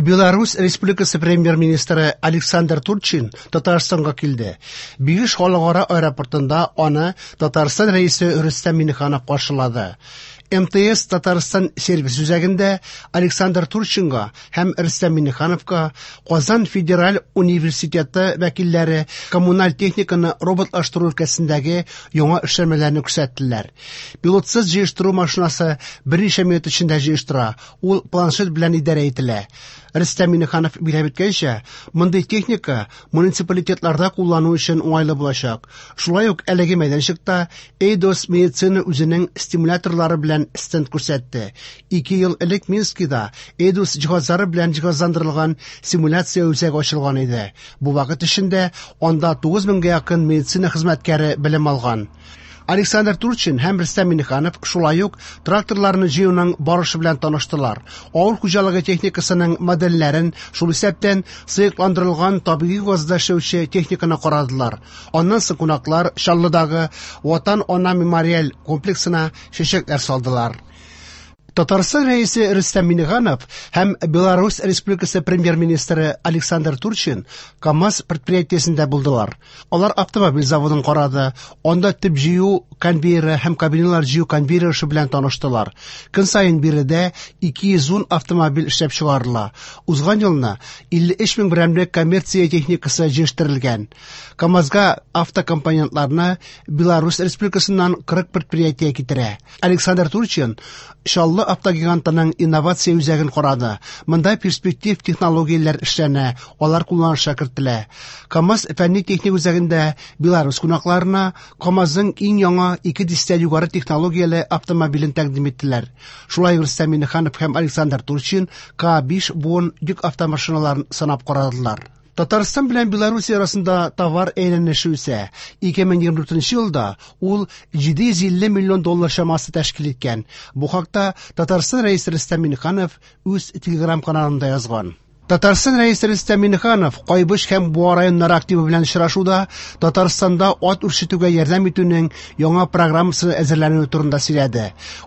Беларусь Республикасы премьер-министры Александр Турчин Татарстанга килде. Бигеш халыкара аэропортында аны Татарстан Рәисе Рөстәм Миңнеханов каршылады. МТС Татарстан сервис үзәгендә Александр Турчинга һәм Рөстәм Миңнехановка Казан федераль университеты вәкилләре коммуналь техниканы роботлаштыру өлкәсендәге яңа эшләнмәләрне күрсәттеләр. Пилотсыз җыештыру машинасы берничә минут эчендә җыештыра, ул планшет белән идарә ителә. Рөстәм Миңнеханов билгеләп үткәнчә, мондый техника муниципалитетларда куллану өчен уңайлы булачак. Шулай ук әлеге мәйданчыкта Эйдос медицина үзенең стимуляторлары белән стенд күрсәтте. 2 ел элек Минскида Эйдос җиһазлары белән җиһазландырылган симуляция үзәге ачылган иде. Бу вакыт эчендә анда 9 меңгә якын медицина хезмәткәре белем алган. Александр Турчин һәм Рөстәм Миңнеханов шулай ук тракторларны җыюның барышы белән таныштылар. Авыл хуҗалыгы техникасының модельләрен, шул исәптән сыекландырылган табигый газда эшләүче техниканы карадылар. Аннан соң кунаклар Чаллыдагы Ватан Ана мемориаль комплексына чәчәкләр салдылар. Татарстан Рәисе Рөстәм Миңнеханов һәм Беларусь Республикасы премьер-министры Александр Турчин КАМАЗ предприятиесендә булдылар. Алар автомобиль заводын карады, анда төп җыю конвейеры һәм кабиналар җыю конвейеры эше белән таныштылар. Көн саен биредә 210 автомобиль эшләп чыгарыла. Узган елны 53 мең берәмлек коммерция техникасы җыештырылган. КАМАЗга автокомпонентларны Беларусь Республикасыннан 40 предприятие китерә. Александр Турчин Чаллы автогигантының инновация үзәген карады. Монда перспектив технологияләр эшләнә, алар кулланышка кертелә. КАМАЗ фәнни-техник үзәгендә Беларусь кунакларына КАМАЗның иң яңа 2 дистә югары технологияле автомобилен тәкъдим иттеләр. Шулай ук Рөстәм Миңнеханов һәм Александр Турчин К5 буын йөк автомашиналарын сынап карадылар. Татарстан белән Беларусь арасында товар әйләнеше үсә. 2024 елда ул 750 миллион доллар чамасы тәшкил иткән. Бу хакта Татарстан Рәисе Рөстәм Миңнеханов үз Телеграм-каналында язган. Татарстан Рәисе Рөстәм Миңнеханов Кайбыч һәм Буа районнары активы белән очрашуда Татарстанда ат үрчетүгә ярдәм итүнең яңа программасы әзерләнүе турында сөйләде.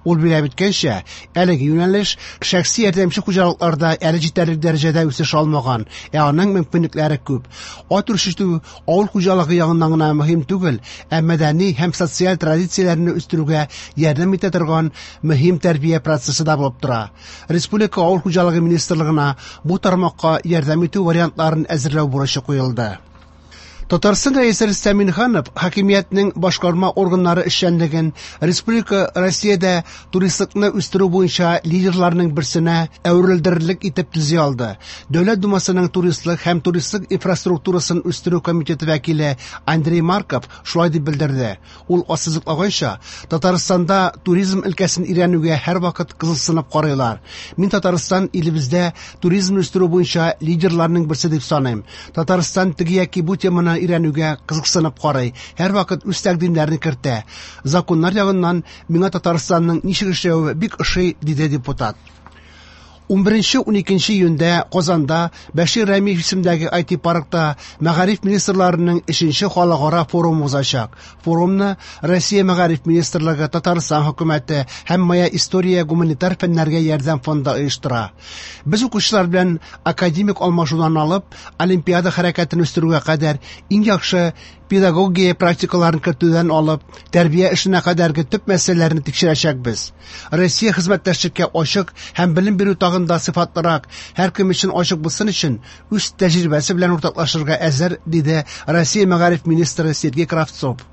Ул билгеләп үткәнчә, әлеге юнәлеш шәхси ярдәмче хуҗалыкларда әле җитәрлек дәрәҗәдә үсеш алмаган, ә аның мөмкинлекләре күп. Ат үрчетү авыл хуҗалыгы ягыннан гына мөһим түгел, ә мәдәни һәм социаль традицияләрне үстерүгә ярдәм итә торган мөһим тәрбия процессы да булып тора. Республика авыл хуҗалыгы министрлыгына бу тармакка ярдәм итү вариантларын әзерләү бурычы куелды. Татарстан Рәисе Рөстәм Миңнеханов хакимиятнең башкарма органнары эшчәнлеген республика Россиядә туристлыкны үстерү буенча лидерларның берсенә әверелдерерлек итеп төзи алды. Дәүләт Думасының туристлык һәм туристлык инфраструктурасын үстерү комитеты вәкиле Андрей Марков шулай дип белдерде. Ул ассызыклаганча, Татарстанда туризм өлкәсен өйрәнүгә һәрвакыт кызыксынып карыйлар. Мин Татарстан илебездә туризмны үстерү буенча лидерларның берсе дип саныйм. Татарстан теге яки бу теманы өйрәнүгә кызыксынып карый, һәрвакыт үз тәкъдимнәрен кертә. Законнар ягыннан миңа Татарстанның ничек эшләве бик ошый, диде депутат. 11-12 июньдә Казанда Бәшир Рәмиев исемендәге ай ти паркта мәгариф министрларының 3-нче халыкара форумы узачак. Форумны Россия мәгариф министрлыгы, Татарстан хөкүмәте һәм Моя история гуманитар фәннәргә ярдәм фонды оештыра. Без укучылар белән академик алмашудан алып, олимпиада хәрәкәтен үстерүгә кадәр иң яхшы педагогия практикаларын кертүдән алып, тәрбия эшенә кадәрге төп мәсьәләләрне тикшерәчәкбез. Россия хезмәттәшлеккә ачык һәм белем бирү тагын да сыйфатлырак, һәркем өчен ачык булсын өчен үз тәҗрибәсе белән уртаклашырга әзер, диде Россия мәгариф министры Сергей Кравцов.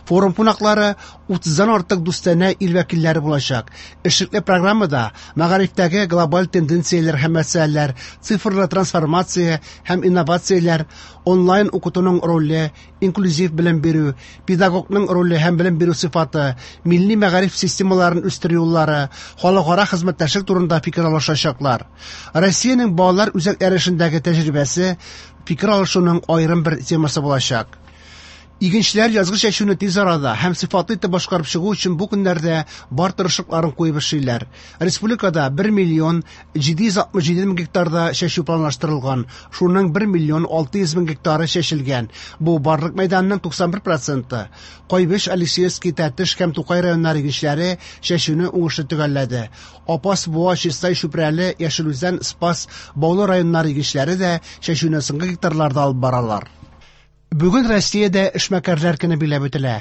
Форум кунаклары 30-дан артык дустанә ил вәкилләре булачак. Эшлекле программада мәгарифтәге глобаль тенденцияләр һәм мәсьәләләр, цифрлы трансформация һәм инновацияләр, онлайн укытуның роле, инклюзив белем бирү, педагогның роле һәм белем бирү сыйфаты, милли мәгариф системаларын үстерү юллары, халыкара хезмәттәшлек турында фикер алышачаклар. Россиянең балалар үзәкләре эшендәге тәҗрибәсе фикер алышуның аерым бер темасы булачак. Игенчеләр язгы чәчүне тиз арада һәм сыйфатлы итеп башкарып чыгу өчен бу көннәрдә бар тырышлыкларын куеп эшлиләр. Республикада 1 миллион 767 мең гектарда чәчү планлаштырылган, шуның 1 миллион 600 мең гектары чәчелгән. Бу барлык мәйданның 91 проценты. Кайбыч, Алексеевский, Тәтеш һәм Тукай районнары игенчеләре чәчүне уңышлы төгәлләде. Апас, Буа, Чистай, Чүпрәле, Яшел Үзән, Спас, Баулы районнары игенчеләре дә чәчүне соңгы гектарларда алып баралар. Бүген Россиядә эшмәкәрләр көне билгеләп үтелә.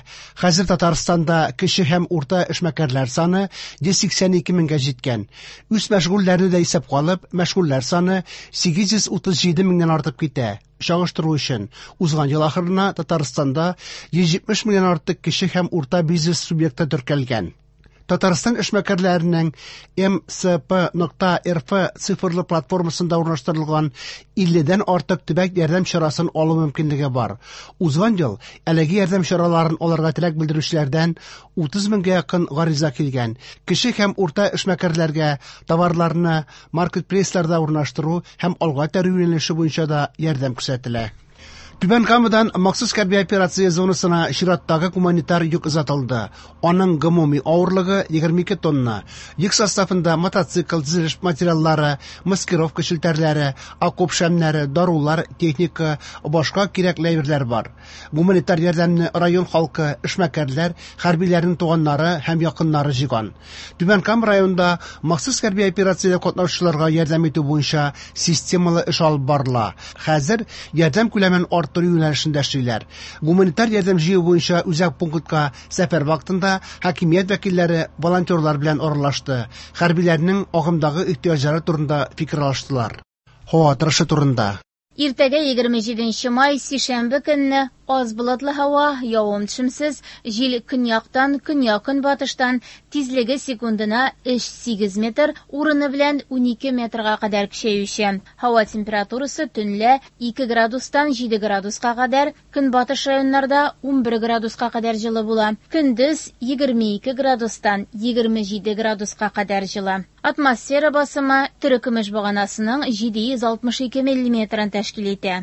Хәзер Татарстанда кече һәм урта эшмәкәрләр саны 182 меңгә җиткән. Үз мәшгульләрне дә исәпкә алып, мәшгульләр саны 837 меңнән артып китә. Чагыштыру өчен, узган ел ахырына Татарстанда 170 меңнән артык кече һәм урта бизнес субъекты теркәлгән. Татарстан эшмәкәрләренең mcp.rf цифрлы платформасында урнаштырылган 50дән артык төбәк ярдәм чарасын алу мөмкинлеге бар. Узган ел әлеге ярдәм чараларын алырга теләк белдерүчеләрдән 30 меңгә якын гариза килгән. Кече һәм урта эшмәкәрләргә товарларны маркетплейсларда урнаштыру һәм алга этәрү юнәлеше буенча да ярдәм күрсәтелә. Түбән Камадан махсус хәрби операция зонасына чираттагы гуманитар йөк озатылды. Аның гомуми авырлыгы 22 тонна. Йөк составында мотоцикл, төзелеш материаллары, маскировка челтәрләре, окоп шәмнәре, дарулар, техника, башка кирәкле әйберләр бар. Гуманитар ярдәмне район халкы, эшмәкәрләр, хәрбиләрнең туганнары һәм якыннары җыйган. Түбән Кама районында махсус хәрби операциядә катнашучыларга ярдәм итү буенча системалы эш алып барыла. Хәзер ярдәм күләмен арттыру юнәлешендә эшлиләр. Гуманитар ярдәм җыю буенча үзәк пунктка сәфәр вакытында хакимият вәкилләре волонтерлар белән аралашты, хәрбиләрнең агымдагы ихтыяҗлары турында фикер алыштылар. Һава торышы турында. Иртәгә 27 май, сишәмбе көнне аз болытлы һава, явым-төшемсез, җил көньяктан, көньяк-көнбатыштан, тизлеге секундына 3-8 метр, урыны белән 12 метрга кадәр көчәюче. Һава температурасы төнлә 2 градустан 7 градуска кадәр, көнбатыш районнарда 11 градуска кадәр җылы була. Көндез 22 градустан 27 градуска кадәр җылы. Атмосфера басымы терекөмеш баганасының 762 миллиметрын тәшкил итә.